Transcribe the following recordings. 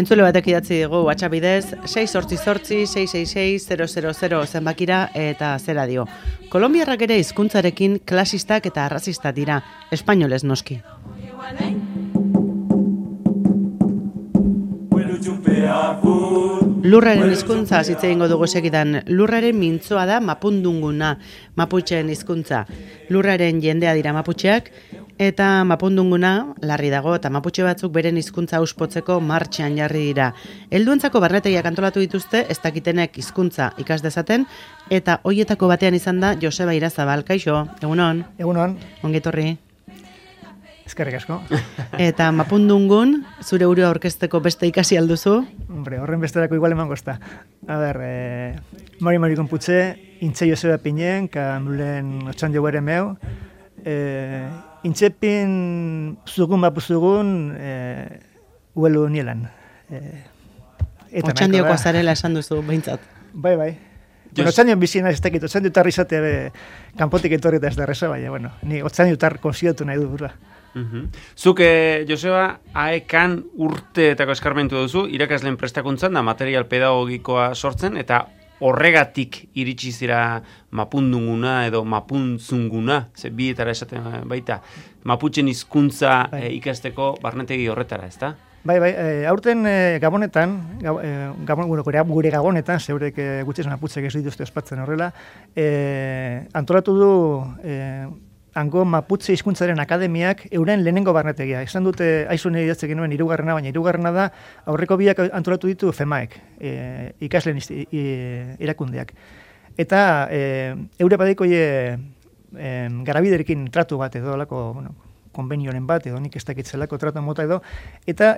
Entzule batek idatzi dugu WhatsApp bidez 688-666-000 zenbakira eta zera dio. Kolonbiarrak ere hizkuntzarekin klasistak eta arrazistak dira, espainolez noski. Lurraren hizkuntza hitz egingo dugu segidan. Lurraren mintzoa da mapundunguna, maputxeen hizkuntza. Lurraren jendea dira maputxeak, eta mapundunguna larri dago eta maputxe batzuk beren hizkuntza auspotzeko martxan jarri dira. Helduentzako barnetegiak antolatu dituzte ez dakitenek hizkuntza ikas dezaten, eta hoietako batean izan da Joseba Irazabal. Kaixo, egunon? Egunon. Ongi etorri. Eskerrik asko. Eta mapundungun, zure burua aurkezteko beste ikasi alduzu? Hombre, horren besterako igual emango ezta. A ber, mari konputze, intze Joseba Pinen, kamulen otxan jo bere meu, intzepin zugun mapuzugun uelu nielan. Otxan dioko azarela esan duzu, behintzat. Bai. Otxan dion bizina ez tekit, otxan diutar izatea kanpotik etorri eta ez da reza, baina, bueno, ni otxan diutar konsidatu nahi du burua. Zuk, Joseba, aekan urteetako eskarmentu duzu, irakasleen prestakuntzan da material pedagogikoa sortzen, eta horregatik iritsi zira mapundunguna edo mapuntzunguna, ze bietara esaten baita, maputxen hizkuntza ikasteko barnetegi horretara, ezta? Bai, aurten Gabonetan, gure Gabonetan, zeurek gutxez maputzek ez dituzte ospatzen horrela, antolatu du hango maputze hizkuntzaren akademiak euren lehenengo barnetegia. Esan dute, aizun idatzek genuen hirugarrena, baina hirugarrena da aurreko biak antolatu ditu FEMAek, ikasleen erakundeak. Eta eure badiko garabiderekin tratu bat edo lako, konbenioren bat edo nik ez dakitzelako tratu mota edo, eta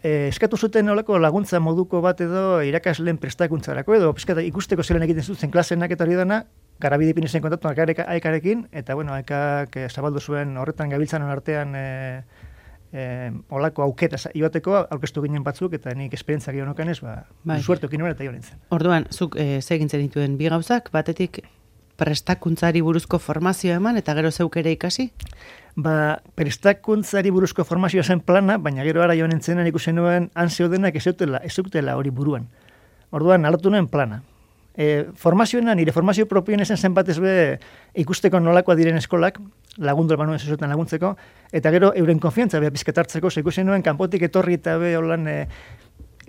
eskatu zuten olako laguntza moduko bat edo irakasleen prestakuntzarako edo ikusteko zelan egiten zuten klasenak eta hori dana, garabide ipin izan kontatu aekarekin, eta aekak zabaldu zuen horretan gabiltzanon artean olako auketa joateko aurkeztu ginen batzuk, eta nik esperientzak egon okanez, suertokin nuen eta jo nintzen. Orduan, zuk segintzen dituen bi gauzak, batetik prestakuntzari buruzko formazioa eman, eta gero zeuk ere ikasi? Prestakuntzari buruzko formazioa zen plana, baina gero ara joan entzenan ikusen nuen han zeudenak ez zeutela hori buruan. Orduan, alatu nuen plana. Formazioena, nire formazio propioen zen batez be ikusteko nolakoa diren eskolak, lagundu albanuen zezuetan laguntzeko, eta gero euren konfiantza beha pizketartzeko, ikusen nuen kanpotik etorri eta be holan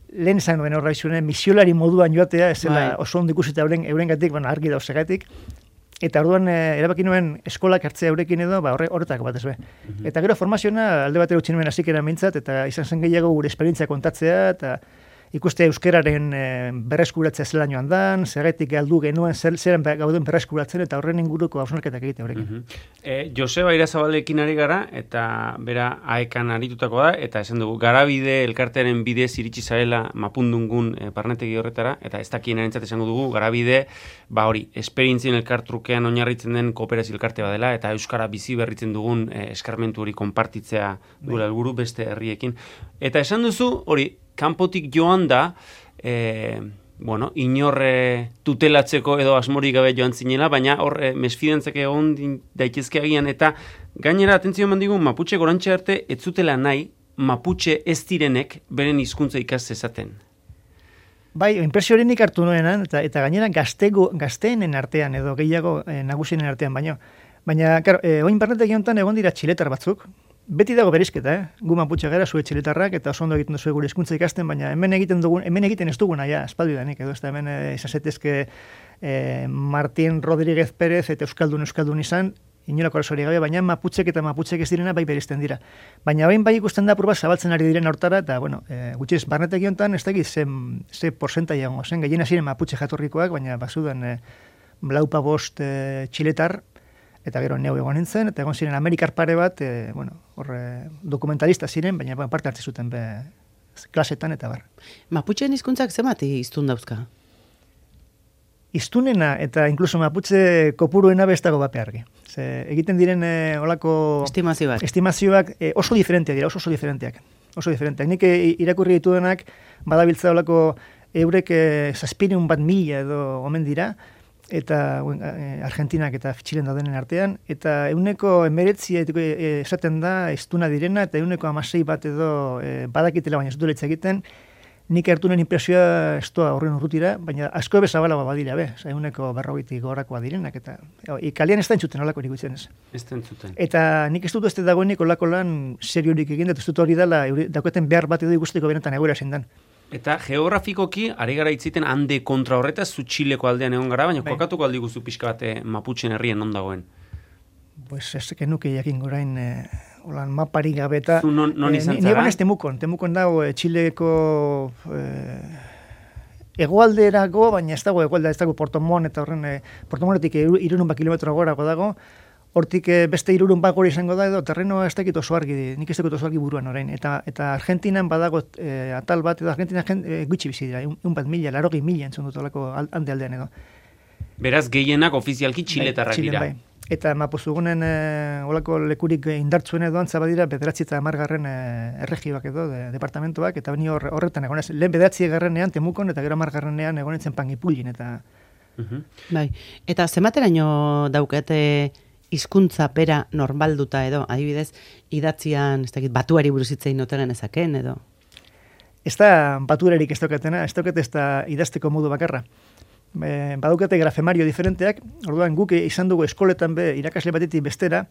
lehen izan duen horra izunen, misiolari moduan joatea, ez zela oso ondo ikusita euren gatik, argi dauzegatik, eta orduan erabaki nuen eskolak hartzea eurekin edo, horretako batez be. Eta gero formazioa alde batera utzi nuen hasik eran eta izan zen gehiago gure esperientzia kontatzea, eta ikuste euskararen berreskuratzea zela joan dan, zergatik galdu genuen zeren gauden berreskuratzen eta horren inguruko hausnarketak egite horrekin. Joseba Irazabalekin ari gara, eta bera aekan aritutako da, eta esan dugu, garabide elkartearen bidez iritsi zarela mapundungun barnetegi horretara, eta ez dakien erantzat esango dugu, garabide, esperientzien elkartrukean oinarritzen den kooperazio elkarte badela, eta euskara bizi berritzen dugun eskarmentu hori konpartitzea duela helburu beste herriekin. Eta esan duzu, kanpotik joan da, inorre tutelatzeko edo asmorik gabe joan zinela, baina hor mesfidentzak egon daitezke agian, eta gainera, atentzio eman digun, maputxe gorantxe arte, ez zutela nahi, maputxe ez direnek beren hizkuntza ikas zezaten. Bai, impresio horinik hartu nuenan, eta gainera gazteenen artean edo gehiago nagusien artean baino. Baina, oin barnetek honetan egon dira txiletar batzuk, beti dago berizketa, gu maputxe gara, zue txiletarrak, eta oso ondo egiten duzu gure hizkuntza ikasten, baina hemen egiten ez duguna, espaldidanik, edo ez da hemen izazetezke Martín Rodríguez Pérez eta Euskaldun izan, inolako arazori gabe, baina maputxek ez direna bai berizten dira. Baina bain bai ikusten da purba zabaltzen ari diren hortara, eta, gutxiz, barnetek honetan ez dakit ze porzentai egongo zen, gehiena ziren maputxe jatorrikoak, baina bazudan blaupa bost txiletar, eta gero neu egon nintzen, eta egon ziren Amerikar pare bat, dokumentalista ziren, baina parte hartze zuten klasetan eta bar. Maputxeen hizkuntzak zemati hiztun dauzka? Hiztunena eta inkluso maputxe kopuruena bestago bape argi. Egiten diren olako estimazioak oso diferenteak dira, oso diferenteak. Nik irakurri dituenak badabiltza olako eurek 7.000 edo omen dira, eta Argentinak eta Txilen daudenen artean, eta 19% esaten da estuna direna, eta 16% bat edo badakitela, baina ez du hitz egiten, nik hartu nuen impresioa estoa horren urrutira, baina asko bezabalagoa badira, 140 gorakoa direnak, eta kalian ez da entzuten olako nik utzen ez. Ez da entzuten. Eta nik ez dut ez dagoenik olako lan seriorik egin, eta ez dut hori dela, dauketen behar bat edo ikusteko benetan egoera zendan. Eta geografikoki, ari gara itziten hande kontra horretaz, zu Txileko aldean egon gara, baina kokatuko aldi guzu pixka bat Maputxen herrien non dagoen? Pues ez genuke jakin gorain holan maparik gabe eta... Zu non izan zara? Ni Temukon dago Txileko hegoalderako, baina ez dago hegoaldera, ez dago Portomon, eta horren Portomonetik 300 kilometro gorago dago, hortik beste 300 gora izango da edo terreno ez dakit oso argi, nik ez dakit oso argi buruan orain. Eta Argentinan badago atal bat, edo Argentina gutxi bizi dira, 1.000 entzun dut olako aldean edo. Beraz, gehienak ofizialki txiletarrak dira. Bai. Eta Mapozugunen olako lekurik indartzuen edo antza badira 9. Erregioak edo, departamentoak, eta beni horretan egonez. Lehen 9. Temukon, eta gero 10. egonetzen Panguipulin, eta... Bai, eta zenbateraino daukate hizkuntza bera normalduta edo, adibidez, idatzian, ez dakit, batuari buruz hitz egin noten ezaken edo? Ez da baturarik ez daukatena, ez daukat ez da idazteko modu bakarra. Badaukate grafemario diferenteak, orduan guk izan dugu eskoletan irakasle batetik bestera,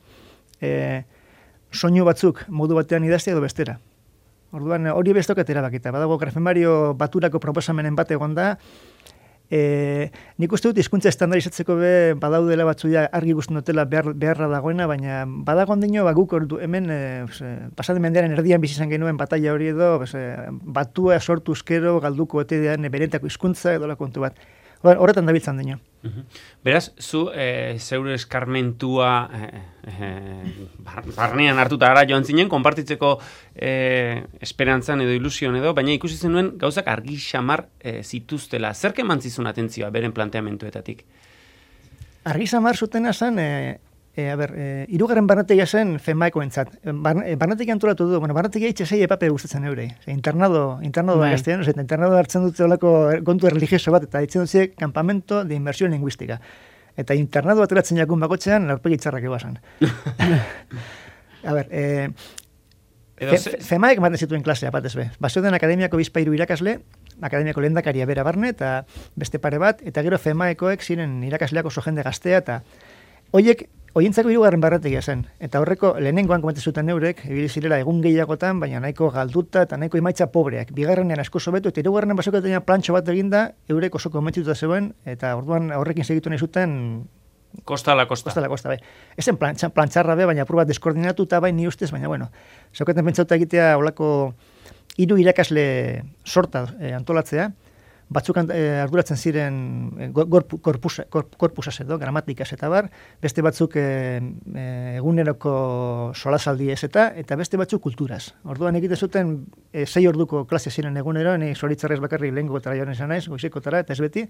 soinu batzuk modu batean idaztea edo bestera. Orduan hori ez daukat erabakita, badago grafemario baturako proposamenen bat egon da, nik uste dut hizkuntza estandarizatzeko badaudela batzuia argi ikusten dutela beharra dagoena, baina badago ondino guk hemen pasaden mendearen erdian bizi izan genuen bataila hori edo batua sortuzkero galduko otedean beretako hizkuntza edo la kontu bat. Horretan dabiltzan dino. Beraz, zu zeure eskarmentua barnean hartuta gara joan zinen, konpartitzeko esperantzan edo ilusion edo, baina ikusi zenuen gauzak argi xamar zituztela. Zerk eman zizun atentzioa beren planteamentuetatik? Argi xamar zutena zen, hirugarren barnetegia zen FEMAEkoentzat. Barnetegia antolatu du, barnetegia itxasei epape gustatzen eurei. Internado da gaztean, internado hartzen dute olako kontu religioso bat, eta ditzen dut campamento de inversión lingüística. Eta internado bat eratzen jakun bakotxean, laurpegi txarrak eguazan. FEMAEk ematen zituen klasea batez be. Basoden akademiako bizpairu irakasle, akademiako lehendakaria bera barne, eta beste pare bat, eta gero FEMAEkoek ziren irakasleak oso jende gaztea, eta Oientzako hirugarren barnetegia zen, eta horreko lehenengoan komente zuten eurek, ibili zirela egun gehiagotan, baina nahiko galduta eta nahiko emaitza pobreak. Bigarrenean asko sobetu, eta hirugarrenean basokatean plantxo bat eginda, eurek oso komentzituta zegoen, eta orduan horrekin segitu nahi zuten... Kosta la kosta, bai. Ezen plantxarra baina apur bat deskoordinatu, eta bai ni ustez, baina bueno. Zaukaten pentsauta egitea olako 3 irakasle sorta antolatzea, batzuk arduratzen ziren korpusaz edo, gramatikaz eta bar, beste batzuk eguneroko solasaldi ez eta beste batzuk kulturaz. Orduan egite zuten 6 orduko klase ziren egunero, ni zoritzarrez bakarrik lehengo eta joan esan naiz, goizekotara eta ez beti,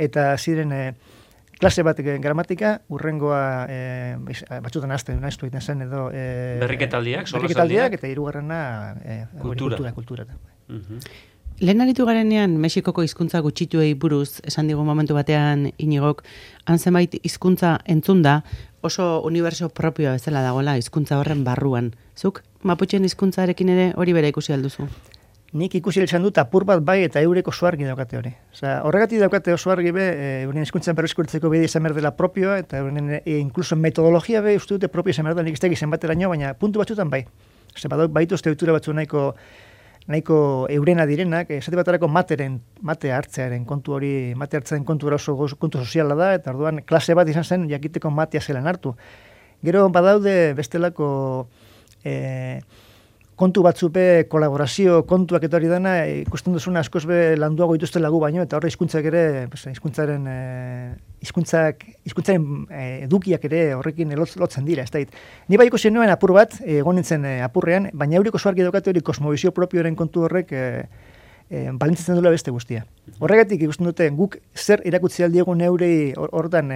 eta ziren klase bat gramatika, urrengoa batzutan azten nahiztu egiten zen edo... Berriketaldiak, solasaldiak, eta hirugarrena kultura. Lehen aritu garenean Mexikoko hizkuntza gutxituei buruz, esan digu momentu batean Inigok, han zenbait hizkuntza entzunda oso uniberso propioa bezala dagoela hizkuntza horren barruan. Zuk Maputxen hizkuntzarekin ere hori bera ikusi alduzu? Nik ikusi izan dut apur bat bai eta eureko oso argi daukate hori. Horregatik daukate oso argi euren hizkuntzan berreskurtzeko bide izan berdela propioa, eta euren inkluso metodologia uste dute propio izan berdela, nik ez da izan bateraino, baina puntu batzutan bai. Baitu estrutura batzu nahiko eurena direnak, esate batarako mate hartzearen kontu hori, mate hartzearen kontu oso kontu soziala da, eta orduan klase bat izan zen jakiteko matea zelan hartu. Gero badaude bestelako kontu batzupe kolaborazio kontuak eta hori dana, ikusten duzuna askoz be landuago dituzte lagu baino, eta horre hizkuntzak ere, hizkuntzaren edukiak ere horrekin lotzen dira, ez da. Ni bai ikusi nuen apur bat, egon nintzen apurrean, baina euriko oso argi daukate hori kosmobizio propioaren kontu horrek balintzatzen duela beste guztia. Horregatik ikusten dute guk zer erakutsi aldiegun eurei hortan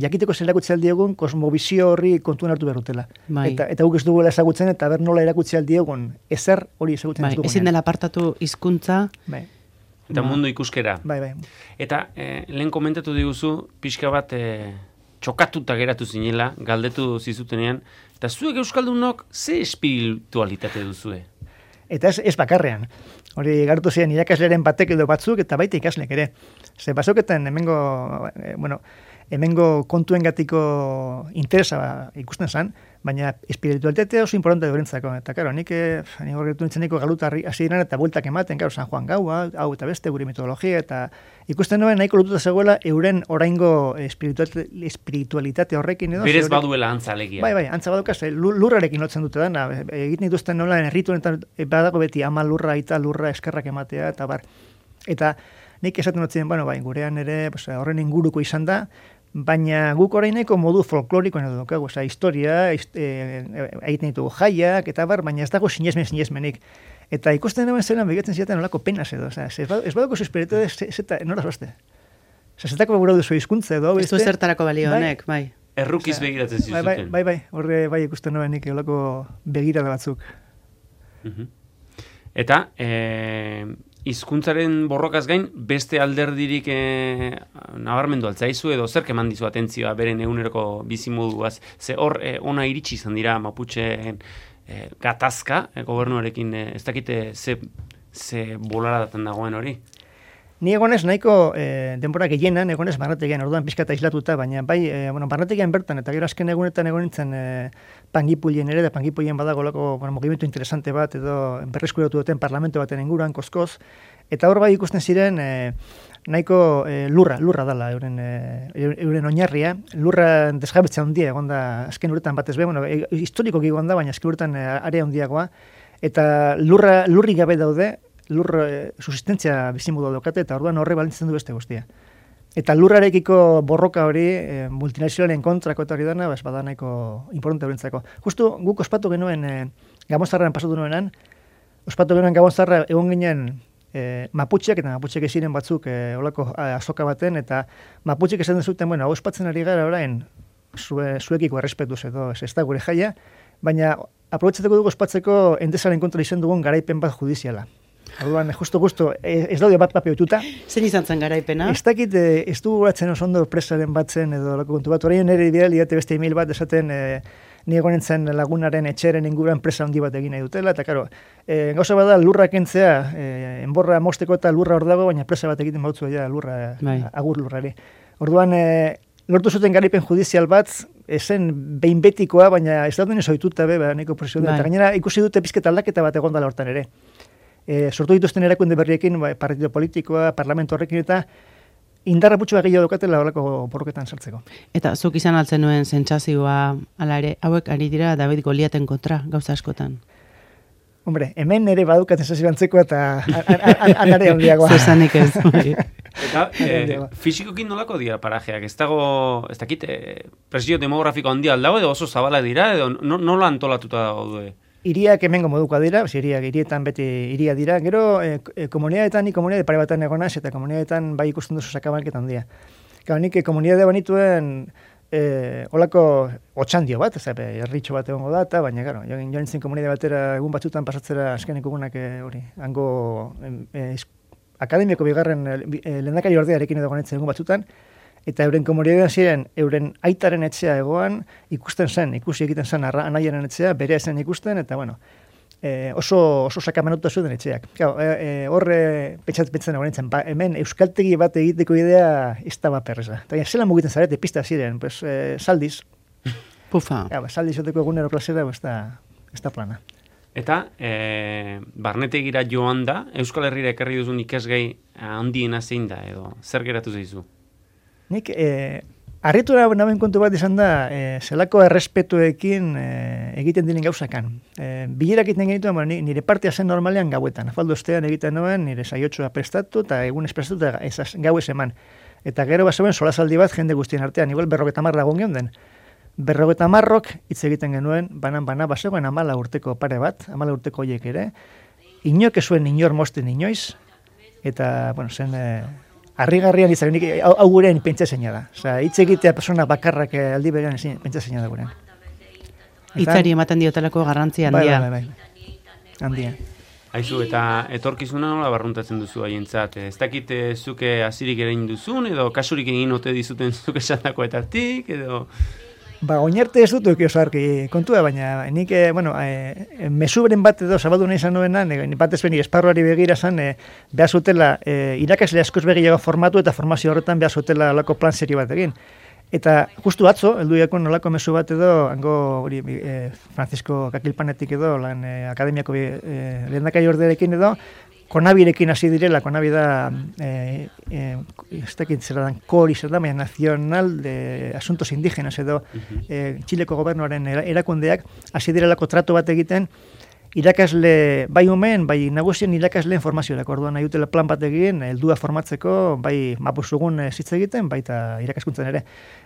jakiteko zer erakutsi aldiegun kosmobizio horri kontuan hartu behar dutela. Bai. Eta guk ez duguela ezagutzen eta ber nola erakutsi aldiegun ezer hori ezagutzen ez dugunean. Ezin dela apartatu hizkuntza Eta mundu ikuskera. Bai. Eta lehen komentatu diguzu, pixka bat txokatuta geratu zinela, galdetu zizutenean, eta zuek euskaldunok ze espiritualitate duzue? Eta ez bakarrean. Hori gartu ziren irakaslearen batek edo batzuk eta baita ikaslek ere. Ze basoketan hemengo kontuengatiko interesa ikusten zen, baina espiritualitatea oso importante durentzako. Eta, karo, nik horretu nintzeniko galutarri hasi diren eta bueltak ematen, karo, San Juan gaua, hau eta beste, gure mitologia, eta ikusten nuen nahiko lotuta zegoela euren oraingo espiritualitate horrekin edo. Berez baduela antzalegia. Bai, antza badukaz, lurrarekin lotzen dute dana. Egiten dituzten nola, errituenetan badago beti ama lurra, aita lurra, eskerrak ematea, eta bar. Eta nik esaten dutzen, gurean ere horren inguruko izan da, baina guk oraineko modu folklorikoan edo dukagu, historia, egiten ditugu jaiak, eta bar, baina ez dago sinesmenik. Eta ikusten nuen zelan begetzen ziaten nolako penas edo, ez badako zu espiritu nora zoazte. Zetako gura duzu hizkuntza edo. Ez du zertarako balio honek, bai. Errukiz begiratzen zizuten. Bai, horre bai ikusten nuen nik olako begirada batzuk. Eta, hizkuntzaren borrokaz gain, beste alderdirik nabarmendu altzaizu edo zerk eman dizu atentzioa beren eguneroko bizimoduaz. Ze hor, ona iritsi izan dira Maputxeen gatazka, gobernuarekin ez dakite ze bolaradaten dagoen hori. Ni egonez nahiko denbora gehienan, egonez barnetegian, orduan pixka eta islatuta, baina bai, barnetegian bertan, eta gero azken egunetan egon nintzen Pangipulien ere, da Pangipulien badago lako mugimendu interesante bat, edo berreskuratu duten parlamento baten inguruan, koskoz, eta hor bai ikusten ziren nahiko lurra dala, euren oinarria, lurra desjabetza handia, egon da, azken uretan batez be, historikoki egon da, baina azken uretan area handiagoa, eta lurri gabe daude, susistentzia bizimodu daukate, eta orduan horre balintzen du beste guztia. Eta lurrarekiko borroka hori, multinazionalen kontrako eta hori dana, bada nahiko importante horentzako. Justu guk ospatu genuen Gabonzarran pasatu nuenan, ospatu genuen Gabonzarra egon ginen Maputxeak, eta Maputxeak eziren batzuk olako azoka baten, eta Maputxeak esan duzuten, hau ospatzen ari gara orain, zuekiko errespetuz edo ez da gure jaia, baina aprobetxatuko dugu ospatzeko Endesaren kontra izan dugun garaipen bat judiziala. Orduan, justo, ez daude bat papiotuta. Zein izan zen garaipena? Ez dakit, ez du guratzen oso ondo presaren batzen edo lako kontu bat. Orain nire bidali date beste email bat esaten ni egonen lagunaren etxeren inguruan presa handi bat egin nahi dutela. Eta, karo, gauza bada lurra kentzea, enborra mosteko eta lurra hor dago, baina presa bat egiten bautzu ja lurra, agur lurrari. Orduan, lortu zuten garaipen judizial bat, esen behin betikoa, baina ez dauden ez ohituta be, nahiko presio da. Eta gainera, ikusi dute pizketa aldaketa bat egon dela hortan ere. Sortu dituzten erakunde berriekin, partido politikoa, parlamento horrekin eta indarra putxua gehiago daukatela horreko borroketan sartzeko. Eta zuk izan altzen nuen sentsazioa ala ere, hauek ari dira David Goliaten kontra, gauza askotan. Hombre, hemen ere badukat sensazio antzeko eta anare handiagoa. Zesanik ez. Eta fisikokin nolako dira parajeak? Ez dakit, presio demografiko handia aldago edo oso zabala dira, edo nola antolatuta dago du? Iriak hemengo modukoa dira, hirietan beti iria dira, gero komunidadetan, komunidade pare batan egonaz, eta komunidadetan bai ikusten duzu sakabalketan handia. Gau, nik komunidade banituen olako otxandio bat, erritxo bat egongo da, baina, gero, jo nintzen komunidade batera egun batzutan pasatzera azkenik egunak hori, hango akademiako bigarren lehendakari ordearekin edo gonetzen egun batzutan, eta euren komunidadean ziren, euren aitaren etxea egoan, ikusi egiten zen anaiaren etxea, bere zen ikusten, eta oso sakamenuta zuen etxeak. Horre pentsatzen egon hemen euskaltegi bat egiteko idea ez da bat perreza. Eta zelan mugiten zarete, pista ziren, saldiz. Pufa. Saldiz oteko egunero klasera, ez da plana. Eta, barnetegira joan da, Euskal Herrira ekarri duzun ikasgai handiena zein da, edo zer geratu zaizu? Nik, harritu naben kontu bat izan da, zelako errespetuekin egiten diren gauzakan. Bilerak egiten genituen, nire partia zen normalean gauetan. Afaldo ostean egiten nuen, nire saiotxoa prestatu, eta egun prestatu, eta gau ez eman. Eta gero bazeuen solasaldi bat jende guztien artean, igual 50 lagun geunden. 50 hitz egiten genuen, bana, bazegoen 14 urteko pare bat, 14 urteko horiek ere, inok ezuen inor mosten inoiz, eta, zen... Arrigarrian izan, hau gurean pentsazeina da. Hitz egitea persona bakarrak aldi berean pentsazeina da gurean. Hitzari ematen diotelako garrantzi handia. Bai. Handia. Aizu, eta etorkizuna nola barruntatzen duzu haientzat? Ez dakit zuke hasirik egin duzun, edo kasurik egin ote dizuten zuke esandakoetatik, edo... Ba, oinarte ez dut oso argi kontua, baina nik, mesuberen bat edo zabaldu nahi izan nuena, batez beni esparruari begira zan, behar zutela, irakasle askoz begiago formatu eta formazio horretan behar zutela alako plan serio bat egin. Eta justu atzo, heldu jakon nolako mezu bat edo, hango Francisco Kakilpanetik edo, akademiako lehendakai orderekin edo, Konabirekin hasi direla, Konabi da, ez dakit zer da, KORI zer da, baina Nacional de Asuntos Indígenas edo Txileko gobernuaren erakundeak hasi direlako trato bat egiten, irakasle, bai umen, bai nagusien irakasleen formaziorako, orduan nahi dutela plan bat egin, heldua formatzeko, bai mapuzugun zitz egiten, baita irakaskuntzen ere.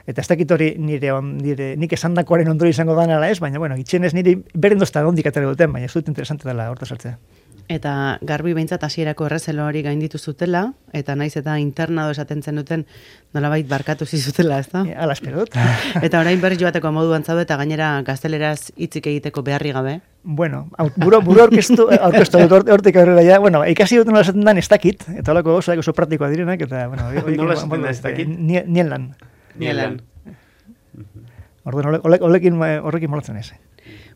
Eta ez dakit hori nik esandakoaren ondori izango dana ez, baina, bueno, itxenez niri beren dozta ondik atera duten, baina ez dut interesante dela horta sartzea. Eta garbi behintzat hasierako errezelo hori gainditu zutela, eta naiz eta internado esaten zenuten nolabait barkatu zizutela, ez da? Ala espero dut. Eta orain berriz joateko moduan zaude eta gainera gazteleraz hitzik egiteko beharri gabe. Bueno, buru aurkeztu dut hortik aurrera ja. Bueno, ikasi dut nola esaten dan ez dakit, eta holako gauzak oso praktikoa direnak, eta, bueno, nola esaten da ez dakit? Nien lan. Orduan, horrekin molatzen ez.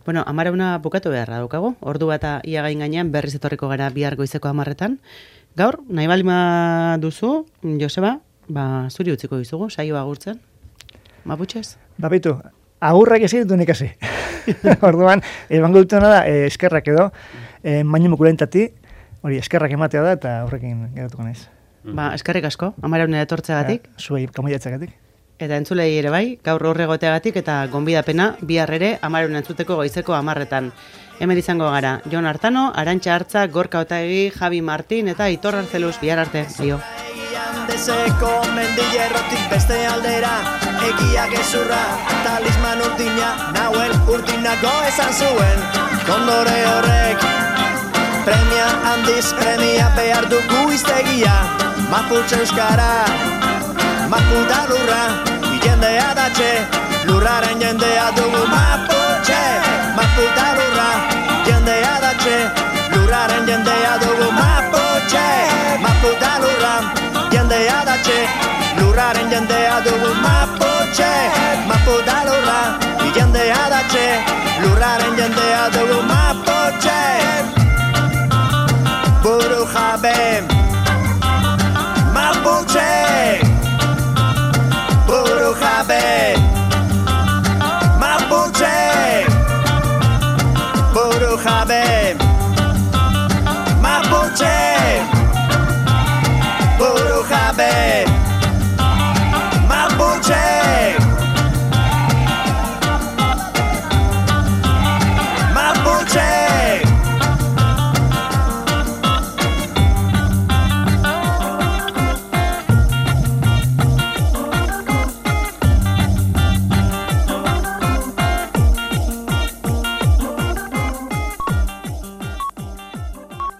Bueno, 11 bukatu beharra daukagu. Ordu bata ia gain gainean berriz etorriko gara bihar goizeko 10etan. Gaur, nahi balima duzu, Joseba, zuri utziko dizugu, saio agurtzen. Maputxez? Bitu, agurrak ezin dut ikasi. Orduan, bango dutena da, eskerrak edo, mainu mukulentati, hori eskerrak ematea da, eta horrekin geratuko naiz. Eskerrik asko, 11 etortzeagatik. Zuei, kamaiatzagatik. Eta entzulei ere bai, gaur horregoteagatik eta gonbidapena bihar ere 11 entzuteko goizeko 10etan. Hemen izango gara, Jon Artano, Arantxa Artza, Gorka Otaegi, Javi Martin eta Aitor Arzeluz, bihar arte, aio. Deseko mendillerrotik beste aldera, egia gezurra, talisman urdina, nahuel urdinako esan zuen, kondore horrek, premia handiz premia behar dugu iztegia, Maputxe euskara, Maputa lurra, jendea datxe, lurraren jendea dugu